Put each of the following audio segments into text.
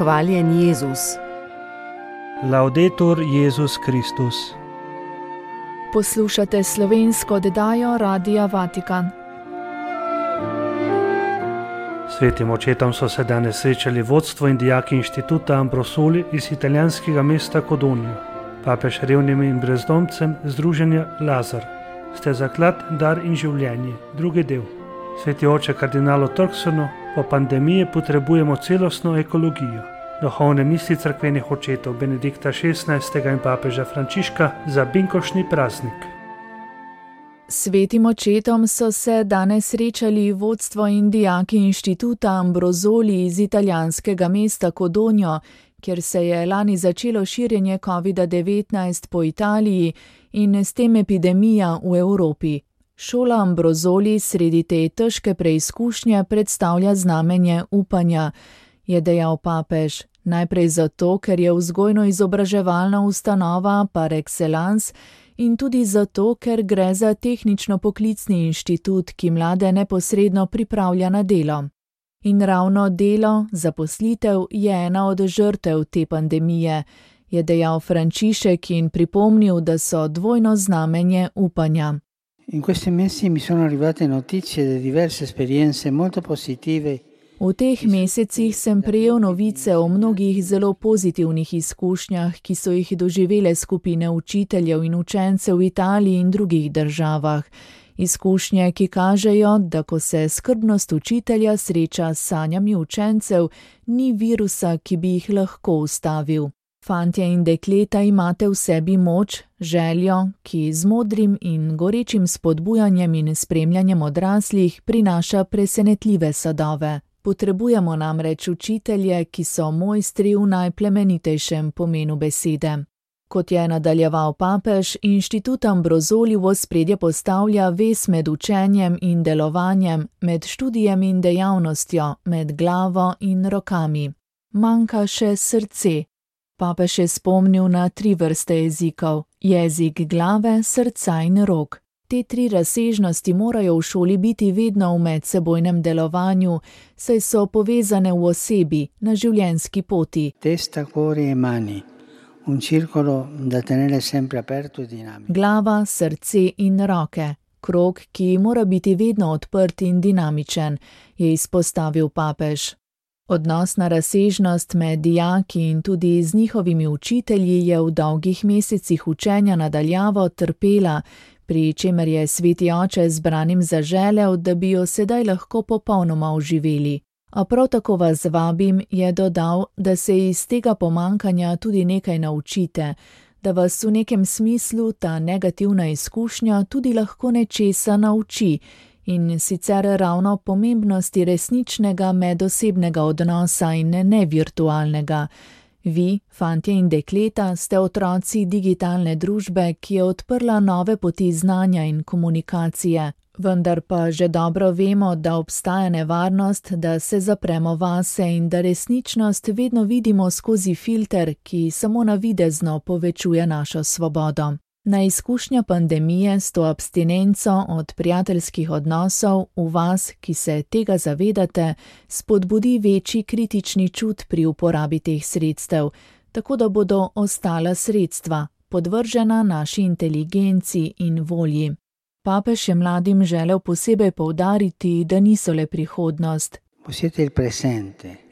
Hvaljen Jezus. Laudetur Jezus Kristus. Poslušate slovensko oddajo Radia Vatikan. Svetim očetom so se danes srečali vodstvo in dijaki inštituta Ambrosoli iz italijanskega mesta Codogno. Papež revnim in brezdomcem združenja Lazar. Ste zaklad, dar in življenje. Drugi del. Sveti oče kardinalo Turksonu, po pandemiji potrebujemo celostno ekologijo. Duhovne misli cerkvenih očetov Benedikta XVI. In papeža Frančiška za binkoštni praznik. Svetim očetom so se danes srečali vodstvo in dijaki inštituta Ambrosoli iz italijanskega mesta Codogno, kjer se je lani začelo širjenje COVID-19 po Italiji in s tem epidemija v Evropi. Šola Ambrosoli sredi te težke preizkušnje predstavlja znamenje upanja, je dejal papež. Najprej zato, ker je vzgojno-izobraževalna ustanova par excellence in tudi zato, ker gre za tehnično-poklicni inštitut, ki mlade neposredno pripravlja na delo. In ravno delo, zaposlitev, je ena od žrtev te pandemije, je dejal Frančišek in pripomnil, da so dvojno znamenje upanja. In questi mesi mi sono arrivate notizie di diverse esperienze molto positive. V teh mesecih sem prejel novice o mnogih zelo pozitivnih izkušnjah, ki so jih doživele skupine učiteljev in učencev v Italiji in drugih državah. Izkušnje, ki kažejo, da ko se skrbnost učitelja sreča s sanjami učencev, ni virusa, ki bi jih lahko ustavil. Fantje in dekleta imate v sebi moč, željo, ki z modrim in gorečim spodbujanjem in spremljanjem odraslih prinaša presenetljive sadove. Potrebujemo namreč učitelje, ki so mojstri v najplemenitejšem pomenu besede. Kot je nadaljeval papež, inštitut Ambrosoli v ospredje postavlja vez med učenjem in delovanjem, med študijem in dejavnostjo, med glavo in rokami. Manjka še srce. Papež je spomnil na 3 vrste jezikov: jezik glave, srca in rok. Te 3 razsežnosti morajo v šoli biti vedno v medsebojnem delovanju, saj so povezane v osebi, na življenjski poti. Testa, cuore e mani. Un circolo da tenere sempre aperto e dinamico. Glava, srce in roke. Krog, ki mora biti vedno odprt in dinamičen, je izpostavil papež. Odnosna razsežnost med dijaki in tudi z njihovimi učitelji je v dolgih mesecih učenja na daljavo trpela, pri čemer je sveti oče zbranim zaželel, da bi jo sedaj lahko popolnoma oživeli. A prav tako vas vabim, je dodal, da se iz tega pomanjkanja tudi nekaj naučite, da vas v nekem smislu ta negativna izkušnja tudi lahko nečesa nauči, in sicer ravno pomembnosti resničnega medosebnega odnosa in ne virtualnega. Vi, fantje in dekleta, ste otroci digitalne družbe, ki je odprla nove poti znanja in komunikacije, vendar pa že dobro vemo, da obstaja nevarnost, da se zapremo vase in da resničnost vedno vidimo skozi filter, ki samo navidezno povečuje našo svobodo. Na izkušnja pandemije s to abstinenco od prijateljskih odnosov v vas, ki se tega zavedate, spodbudi večji kritični čut pri uporabi teh sredstev, tako da bodo ostala sredstva, podvržena naši inteligenci in volji. Papež je mladim želel posebej poudariti, da niso le prihodnost.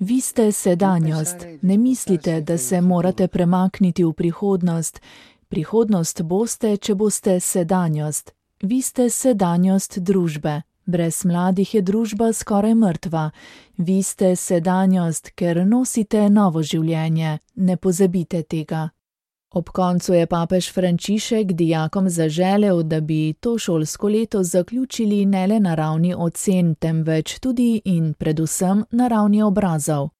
Vi ste sedanjost. Ne mislite, da se morate premakniti v prihodnost. Prihodnost boste, če boste sedanjost. Vi ste sedanjost družbe. Brez mladih je družba skoraj mrtva. Vi ste sedanjost, ker nosite novo življenje. Ne pozabite tega. Ob koncu je papež Frančišek dijakom zaželel, da bi to šolsko leto zaključili ne le na ravni ocen, temveč tudi in predvsem na ravni obrazov.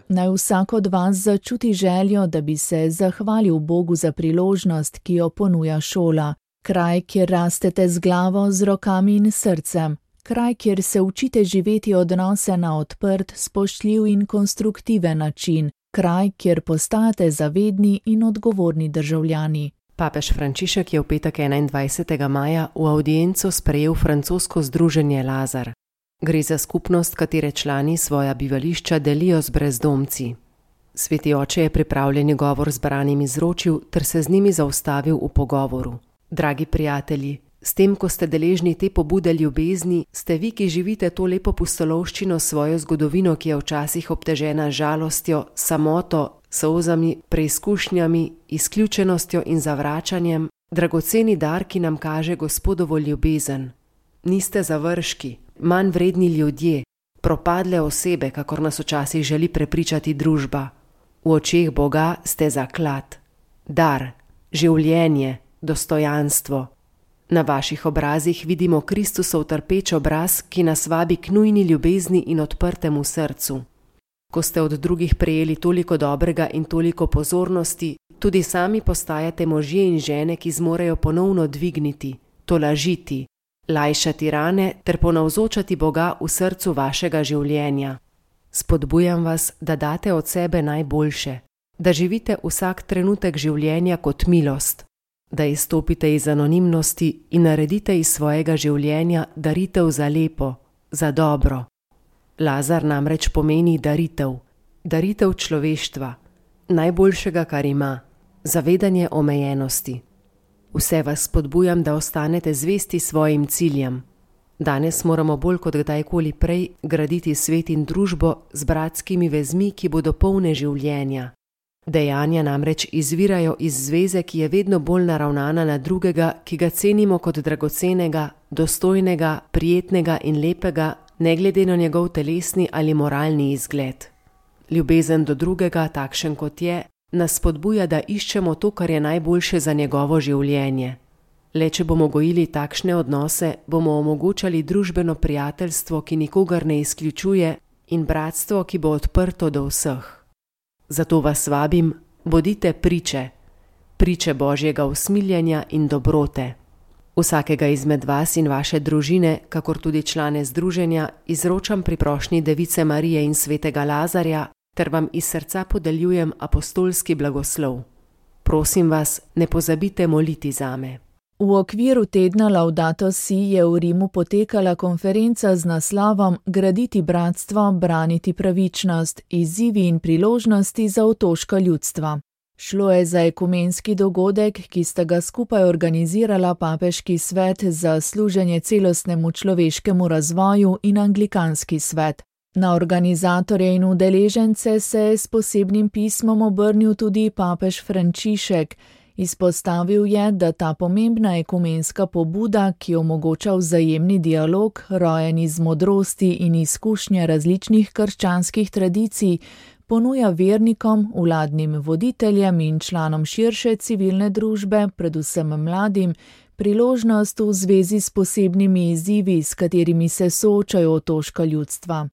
Naj vsak od vas začuti željo, da bi se zahvalil Bogu za priložnost, ki jo ponuja šola. Kraj, kjer rastete z glavo, z rokami in srcem. Kraj, kjer se učite živeti odnose na odprt, spoštljiv in konstruktiven način. Kraj, kjer postajate zavedni in odgovorni državljani. Papež Frančišek je v petek 21. maja v avdienco sprejel francosko združenje Lazar. Gre za skupnost, katere člani svoja bivališča delijo z brezdomci. Sveti oče je pripravljeni govor zbranim izročil ter se z njimi zaustavil v pogovoru. Dragi prijatelji, s tem, ko ste deležni te pobude ljubezni, ste vi, ki živite to lepo pustolovščino, svojo zgodovino, ki je včasih obtežena žalostjo, samoto, solzami, preizkušnjami, izključenostjo in zavračanjem, dragoceni dar, ki nam kaže Gospodovo ljubezen. Niste završki, manj vredni ljudje, propadle osebe, kakor nas včasih želi prepričati družba. V očeh Boga ste zaklad, dar, življenje, dostojanstvo. Na vaših obrazih vidimo Kristusov trpeč obraz, ki nas vabi k nujni ljubezni in odprtemu srcu. Ko ste od drugih prejeli toliko dobrega in toliko pozornosti, tudi sami postajate možje in žene, ki zmorejo ponovno dvigniti, tolažiti, lajšati rane ter ponavzočati Boga v srcu vašega življenja. Spodbujam vas, da date od sebe najboljše, da živite vsak trenutek življenja kot milost, da izstopite iz anonimnosti in naredite iz svojega življenja daritev za lepo, za dobro. Lazar namreč pomeni daritev, daritev človeštva, najboljšega, kar ima, zavedanje omejenosti. Vse vas spodbujam, da ostanete zvesti svojim ciljem. Danes moramo bolj kot kdajkoli prej graditi svet in družbo z bratskimi vezmi, ki bodo polne življenja. Dejanja namreč izvirajo iz zveze, ki je vedno bolj naravnana na drugega, ki ga cenimo kot dragocenega, dostojnega, prijetnega in lepega, ne glede na njegov telesni ali moralni izgled. Ljubezen do drugega, takšen kot je, nas spodbuja, da iščemo to, kar je najboljše za njegovo življenje. Le če bomo gojili takšne odnose, bomo omogočali družbeno prijateljstvo, ki nikogar ne izključuje, in bratstvo, ki bo odprto do vseh. Zato vas vabim, bodite priče, priče Božjega usmiljenja in dobrote. Vsakega izmed vas in vaše družine, kakor tudi člane združenja, izročam pri prošnji Device Marije in svetega Lazarja, ter vam iz srca podeljujem apostolski blagoslov. Prosim vas, ne pozabite moliti zame. V okviru tedna Laudato Si je v Rimu potekala konferenca z naslovom Graditi bratstvo, braniti pravičnost, izzivi in priložnosti za otoška ljudstva. Šlo je za ekumenski dogodek, ki sta ga skupaj organizirala Papeški svet za služenje celostnemu človeškemu razvoju in Anglikanski svet. Na organizatorje in udeležence se je s posebnim pismom obrnil tudi papež Frančišek. Izpostavil je, da ta pomembna ekumenska pobuda, ki omogoča vzajemni dialog, rojen iz modrosti in izkušnje različnih krščanskih tradicij, ponuja vernikom, vladnim voditeljem in članom širše civilne družbe, predvsem mladim, priložnost v zvezi s posebnimi izzivi, s katerimi se soočajo otoška ljudstva.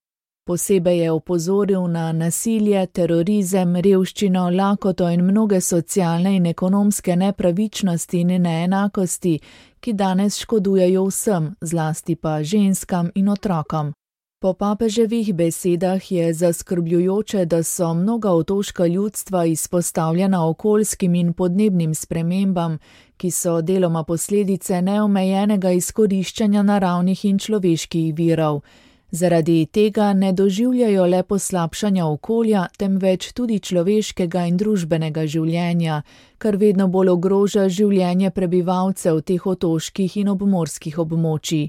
Posebej je opozoril na nasilje, terorizem, revščino, lakoto in mnoge socialne in ekonomske nepravičnosti in neenakosti, ki danes škodujejo vsem, zlasti pa ženskam in otrokom. Po papeževih besedah je zaskrbljujoče, da so mnoga otoška ljudstva izpostavljena okoljskim in podnebnim spremembam, ki so deloma posledice neomejenega izkoriščanja naravnih in človeških virov. Zaradi tega ne doživljajo le poslabšanja okolja, temveč tudi človeškega in družbenega življenja, kar vedno bolj ogroža življenje prebivalcev teh otoških in obmorskih območij.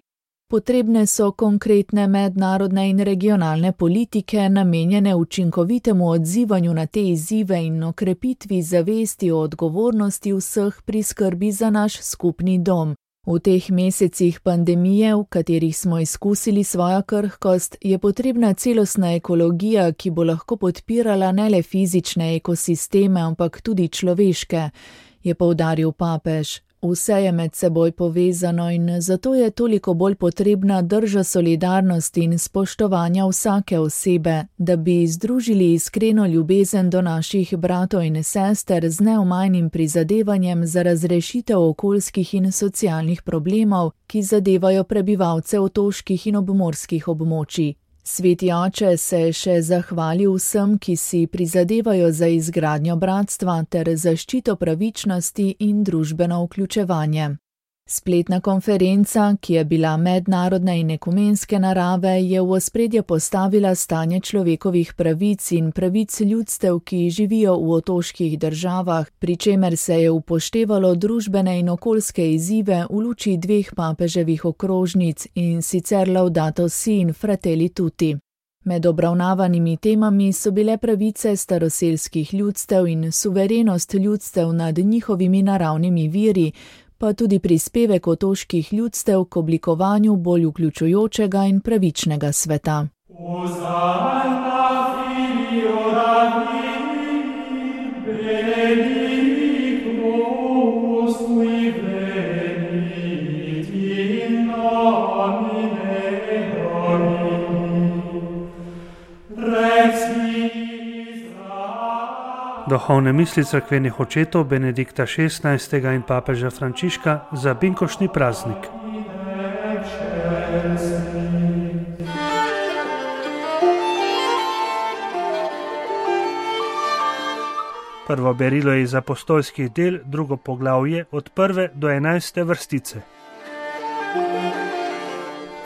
Potrebne so konkretne mednarodne in regionalne politike, namenjene učinkovitemu odzivanju na te izzive in okrepitvi zavesti o odgovornosti vseh pri skrbi za naš skupni dom. V teh mesecih pandemije, v katerih smo izkusili svojo krhkost, je potrebna celostna ekologija, ki bo lahko podpirala ne le fizične ekosisteme, ampak tudi človeške, je poudaril papež. Vse je med seboj povezano in zato je toliko bolj potrebna drža solidarnosti in spoštovanja vsake osebe, da bi združili iskreno ljubezen do naših bratov in sester z neomajnim prizadevanjem za razrešitev okoljskih in socialnih problemov, ki zadevajo prebivalce otoških in obmorskih območij. Sveti oče se je še zahvalil vsem, ki si prizadevajo za izgradnjo bratstva ter zaščito pravičnosti in družbeno vključevanje. Spletna konferenca, ki je bila mednarodne in ekumenske narave, je v ospredje postavila stanje človekovih pravic in pravic ljudstev, ki živijo v otoških državah, pri čemer se je upoštevalo družbene in okoljske izzive v luči dveh papeževih okrožnic, in sicer Laudato Si in Fratelli Tutti. Med obravnavanimi temami so bile pravice staroselskih ljudstev in suverenost ljudstev nad njihovimi naravnimi viri, pa tudi prispevek otoških ljudstev k oblikovanju bolj vključujočega in pravičnega sveta. Duhovne misli cerkvenih očetov Benedikta XVI. In papeža Frančiška za binkoštni praznik. Prvo berilo je iz apostolskih del, drugo poglavje od 1. do 11. vrstice.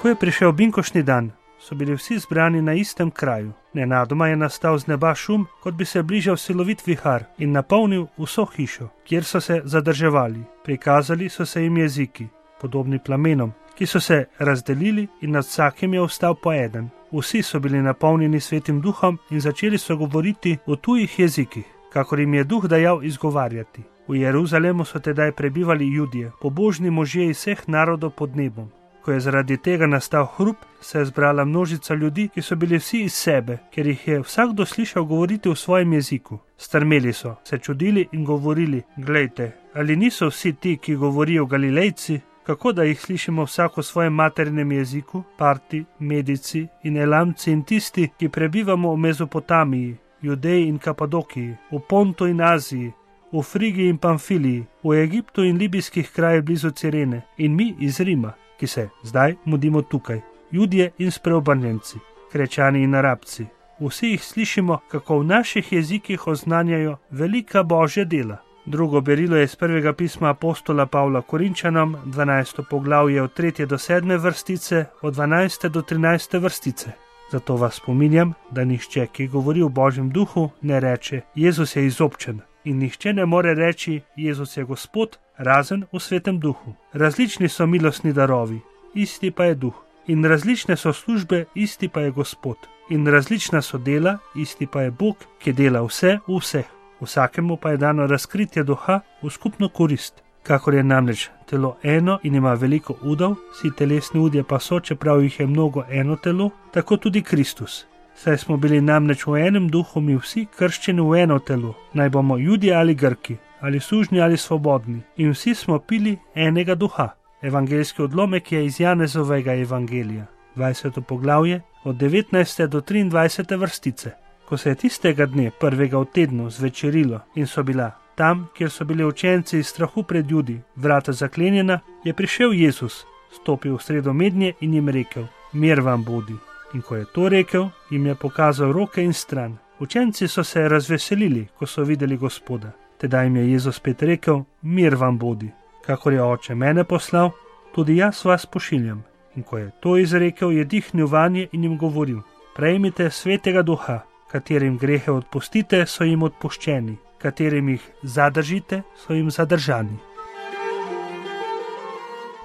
Ko je prišel binkoštni dan, so bili vsi zbrani na istem kraju. Nenadoma je nastal z neba šum, kot bi se bližal silovit vihar, in napolnil vso hišo, kjer so se zadrževali. Prikazali so se jim jeziki, podobni plamenom, ki so se razdelili, in nad vsakim je ostal po eden. Vsi so bili napolnjeni Svetim Duhom in začeli so govoriti v tujih jezikih, kakor jim je Duh dajal izgovarjati. V Jeruzalemu so tedaj prebivali Judje, pobožni možje iz vseh narodov pod nebom. Ko je zaradi tega nastal hrup, se je zbrala množica ljudi, ki so bili vsi iz sebe, ker jih je vsakdo slišal govoriti v svojem jeziku. Strmeli so, se čudili in govorili: glejte, ali niso vsi ti, ki govorijo Galilejci? Kako da jih slišimo vsak v svojem materinem jeziku? Parti, Medici in Elamci in tisti, ki prebivamo v Mezopotamiji, Judeji in Kapadokiji, v Pontu in Aziji, v Frigiji in Pamfiliji, v Egiptu in libijskih krajih blizu Cirene, in mi iz Rima, ki se zdaj mudimo tukaj, Judje in spreobrnjenci, Krečani in Arabci. Vsi jih slišimo, kako v naših jezikih oznanjajo velika Božja dela. Drugo berilo je iz prvega pisma apostola Pavla Korinčanom, 12. poglavje od 3. do 7. vrstice, od 12. do 13. vrstice. Zato vas spominjam, da nihče, ki govori v Božjem duhu, ne reče: Jezus je izobčen, in nihče ne more reči: Jezus je Gospod, razen v Svetem Duhu. Različni so milostni darovi, isti pa je Duh. In različne so službe, isti pa je Gospod. In različna so dela, isti pa je Bog, ki dela vse v vseh. Vsakemu pa je dano razkritje duha v skupno korist. Kakor je namreč telo eno in ima veliko udov, vsi telesni udje pa so, čeprav jih je mnogo, eno telo, tako tudi Kristus. Saj smo bili namreč v enem duhu mi vsi krščeni v eno telo, naj bomo Judje ali Grki, ali sužnji ali svobodni, in vsi smo pili enega duha. Evangeljski odlomek je iz Janezovega evangelija, 20. poglavje, od 19. do 23. vrstice. Ko se je tistega dne, prvega v tednu, zvečerilo in so bila tam, kjer so bili učenci iz strahu pred Judi, vrata zaklenjena, je prišel Jezus, stopil v sredo mednje in jim rekel: Mir vam bodi. In ko je to rekel, jim je pokazal roke in stran. Učenci so se razveselili, ko so videli Gospoda. Tedaj jim je Jezus spet rekel: Mir vam bodi. Kakor je Oče mene poslal, tudi jaz vas pošiljam. In ko je to izrekel, je dihnil vanje in jim govoril: Prejmite Svetega Duha, katerim grehe odpustite, so jim odpuščeni, katerim jih zadržite, so jim zadržani.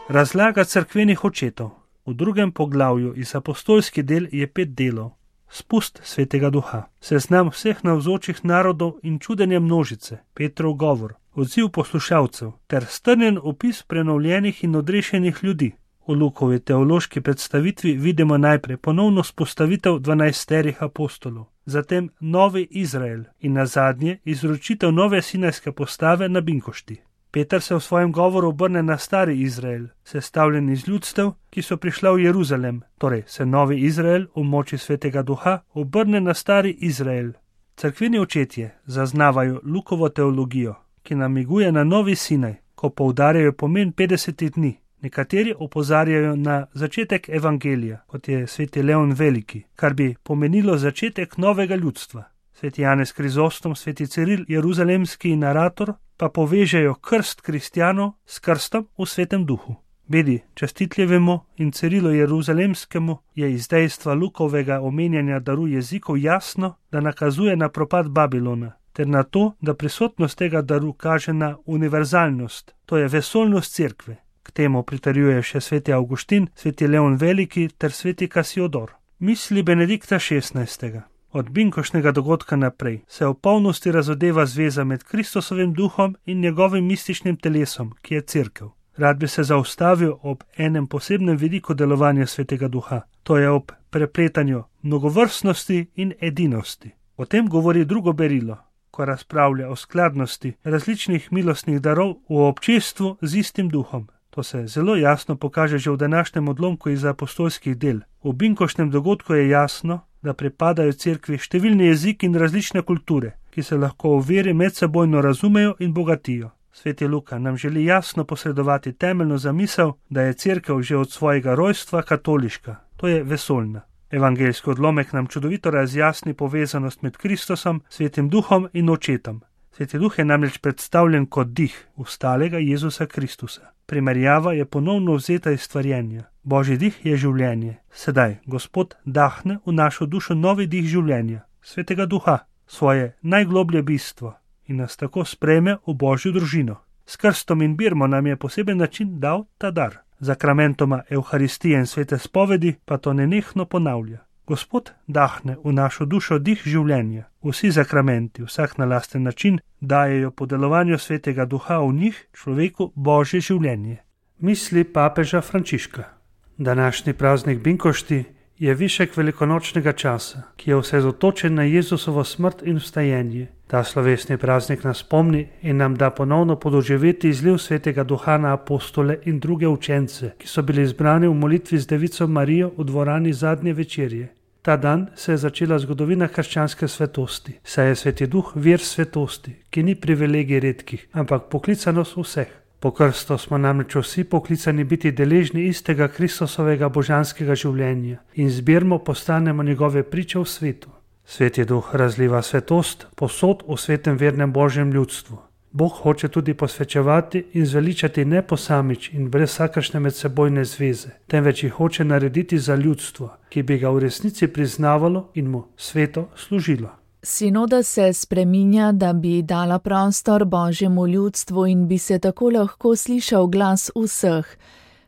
Razlaga cerkvenih očetov. V drugem poglavju iz apostolskih del je 5 delov. Spust Svetega Duha, seznam vseh navzočih narodov in čudenja množice, Petrov govor, odziv poslušalcev ter strnjen opis prenovljenih in odrešenih ljudi. V Lukovi teološki predstavitvi vidimo najprej ponovno spostavitev 12 apostolov, zatem novi Izrael in nazadnje izročitev nove sinajske postave na binkošti. Peter se v svojem govoru obrne na stari Izrael, sestavljen iz ljudstev, ki so prišla v Jeruzalem, torej se novi Izrael v moči Svetega Duha obrne na stari Izrael. Cerkveni očetje zaznavajo Lukovo teologijo, ki namiguje na novi Sinaj, ko poudarjajo pomen 50 dni. Nekateri opozarjajo na začetek evangelija, kot je sveti Leon Veliki, kar bi pomenilo začetek novega ljudstva. Sveti Janez Krizostom, sveti Ciril, jeruzalemski narator, pa povežejo krst kristjanov s krstom v Svetem duhu. Bedi častitljivemu in Cirilu jeruzalemskemu je iz dejstva Lukovega omenjanja daru jezikov jasno, da nakazuje na propad Babilona, ter na to, da prisotnost tega daru kaže na univerzalnost, to je vesoljnost cerkve. K temu pritrjuje še sveti Avguštin, sveti Leon Veliki ter sveti Kasiodor. Misli Benedikta XVI. Od binkošnjega dogodka naprej se v polnosti razodeva zveza med Kristusovim duhom in njegovim mističnim telesom, ki je cerkev. Rad bi se zaustavil ob enem posebnem vidiku delovanja svetega duha, to je ob prepletanju mnogovrstnosti in edinosti. O tem govori drugo berilo, ko razpravlja o skladnosti različnih milostnih darov v občestvu z istim duhom. To se zelo jasno pokaže že v današnjem odlomku iz apostolskih del. V binkošnjem dogodku je jasno, da pripadajo cerkvi številni jeziki in različne kulture, ki se lahko v veri medsebojno razumejo in bogatijo. Sveti Luka nam želi jasno posredovati temeljno zamisel, da je cerkev že od svojega rojstva katoliška, to je vesoljna. Evangeljski odlomek nam čudovito razjasni povezanost med Kristusom, Svetim duhom in očetom. Sveti duh je namreč predstavljen kot dih vstalega Jezusa Kristusa. Primerjava je ponovno vzeta iz stvarjenja. Božji dih je življenje. Sedaj Gospod dahne v našo dušo novi dih življenja, Svetega duha, svoje najgloblje bistvo in nas tako sprejme v Božjo družino. S krstom in birmo nam je poseben način dal ta dar. Zakramentoma Evharistije in svete spovedi pa to nenehno ponavlja. Gospod dahne v našo dušo dih življenja. Vsi zakramenti, vsak na lasten način, dajejo po delovanju Svetega duha v njih človeku Božje življenje. Misli papeža Frančiška. Današnji praznik binkošti je višek velikonočnega časa, ki je osredotočen na Jezusovo smrt in vstajenje. Ta slovesni praznik nas spomni in nam da ponovno podoživeti izliv Svetega duha na apostole in druge učence, ki so bili zbrani v molitvi z Devico Marijo v dvorani zadnje večerje. Ta dan se je začela zgodovina krščanske svetosti, saj je Sveti duh vir svetosti, ki ni privilegij redkih, ampak poklicanost vseh. Po krstu smo namreč vsi poklicani biti deležni istega Kristusovega božanskega življenja in zbirmo postanemo njegove priče v svetu. Sveti duh razliva svetost posod v svetem vernem Božjem ljudstvu. Bog hoče tudi posvečevati in zveličati ne posamič in brez vsakršne medsebojne zveze, temveč jih hoče narediti za ljudstvo, ki bi ga v resnici priznavalo in mu sveto služilo. Sinoda se spreminja, da bi dala prostor Božjemu ljudstvu in bi se tako lahko slišal glas vseh.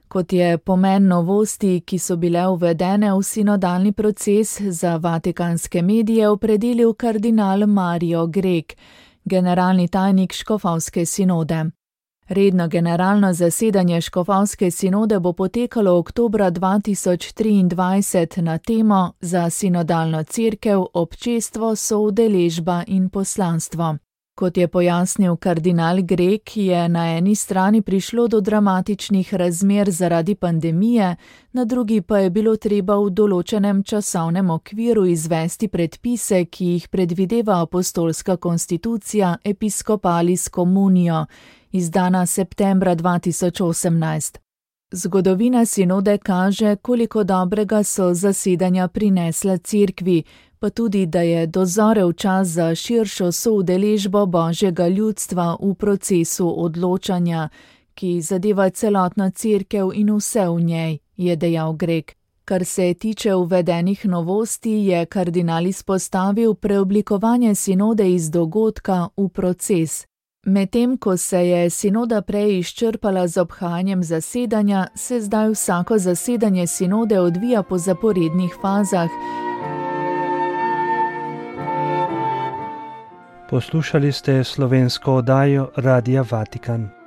Kot je pomen novosti, ki so bile uvedene v sinodalni proces, za vatikanske medije opredelil kardinal Mario Grek, generalni tajnik škofovske sinode. Redno generalno zasedanje škofovske sinode bo potekalo oktobra 2023 na temo Za sinodalno cerkev, občestvo, soudeležba in poslanstvo. Kot je pojasnil kardinal Grek, je na eni strani prišlo do dramatičnih razmer zaradi pandemije, na drugi pa je bilo treba v določenem časovnem okviru izvesti predpise, ki jih predvideva apostolska konstitucija Episcopalis Communio, izdana septembra 2018. Zgodovina sinode kaže, koliko dobrega so zasedanja prinesla cerkvi, pa tudi, da je dozorel čas za širšo soudeležbo Božjega ljudstva v procesu odločanja, ki zadeva celotno cerkev in vse v njej, je dejal Grek. Kar se tiče uvedenih novosti, je kardinal izpostavil preoblikovanje sinode iz dogodka v proces. Medtem ko se je sinoda prej izčrpala z obhajanjem zasedanja, se zdaj vsako zasedanje sinode odvija po zaporednih fazah. Poslušali ste slovensko oddajo Radia Vatikan.